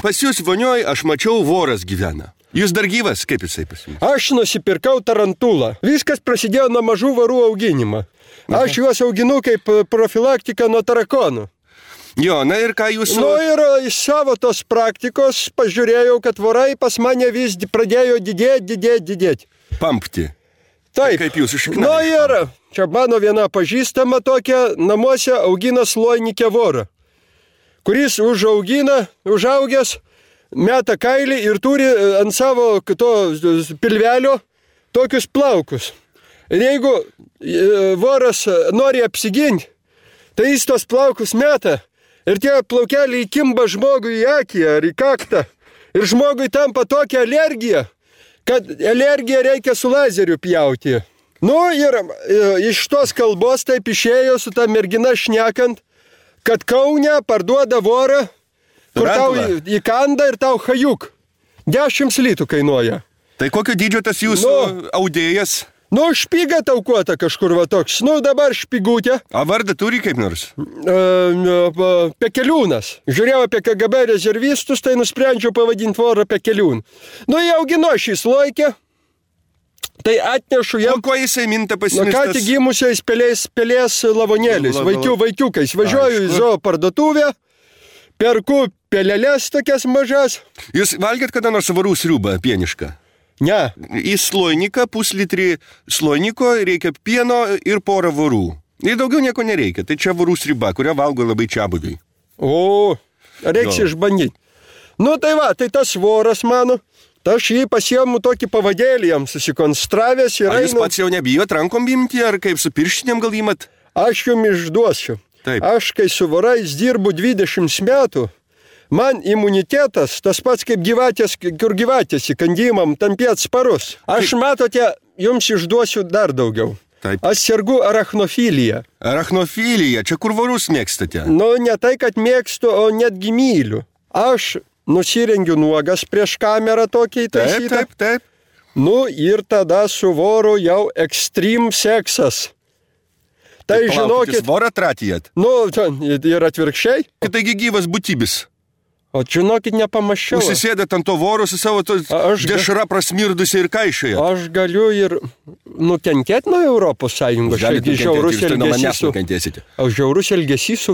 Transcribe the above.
Pas jūs vonioj aš mačiau voras gyvena. Jūs dar gyvas, kaip jisai pas jums? Aš nusipirkau tarantulą. Viskas prasidėjo nuo mažų varų auginimo. Aš juos auginu kaip profilaktiką nuo tarakonų. Jo, na ir ką jūs... Nu ir iš savo tos praktikos pažiūrėjau, kad vorai pas mane vis pradėjo didėti. Pampti. Taip. Kaip jūs išknarėte? Nu ir čia mano viena pažįstama tokia namuose augina sloinikę vorą, kuris užaugęs, meta kailį ir turi ant savo to pilvelio tokius plaukus. Ir jeigu voras nori apsiginti, tai jis tos plaukus meta ir tie plaukeliai įkimba žmogui į akį ar į kaktą. Ir žmogui tampa tokia alergija, kad alergiją reikia su lazeriu pjauti. Nu ir iš tos kalbos taip išėjo su ta mergina šnekant, kad Kaune parduoda vorą, kur tau įkanda ir tau hajuk. 10 litų kainuoja. Tai kokio dydžio tas jūsų audėjas? Nu, špyga taukuota kažkur va toks. Nu, dabar špygutė. A vardą turi kaip nors? Pekeliūnas. Žiūrėjau apie KGB rezervistus, tai nusprendžiau pavadinti vorą Pekeliūn. Nu, jie augino šį sloikę. Tai atnešu jam... O ko jisai minta pasimistas? Ką tik gimusiais pelės lavonėliais, vaikiukais. Važiuoju į zoo parduotuvę, perku pelelės tokias mažas. Jūs valgėt kada nors varų sriubą pienišką? Ne. Į sloiniką, puslitrį sloiniko reikia pieno ir porą vorų. Ir daugiau nieko nereikia. Tai čia vorų sriuba, kurią valgo labai čiabuviai. O, reiks išbandyti. Nu tai va, tai tas voras mano, tai aš jį pasiemu tokį pavadėlį jam susikonstravęs ir... Ar jūs pats jau nebijot rankom imti, ar kaip su pirštinėm gal imat? Aš jums išduosiu. Taip. Aš kai su vorais dirbu 20 metų, man imunitetas, tas pats kaip gyvatės, kur gyvatės įkandimam, tampė atsparus. Aš matote, jums išduosiu dar daugiau. Taip. Aš sergu arachnofilija. Arachnofilija, čia kur vorus mėgstate? Nu, ne tai, kad mėgstu, o netgi myliu. Aš nusirengiu nuogas prieš kamerą tokį įtaisytą. Taip. Nu, ir tada su voru jau extreme seksas. Tai žinokit... Jūs vorą tratijat? Nu, ir atvirkščiai. Taigi gyvas būtybis. O žinokit, nepamaščiau. Užsisėdėt ant to voro su savo dešra prasmirdusi ir kaišioje. Aš galiu ir nukentėti nuo Europos Sąjungos. Galite nukentėti ir štai nuo manęs nukentėsite. Žiaurus elgesys su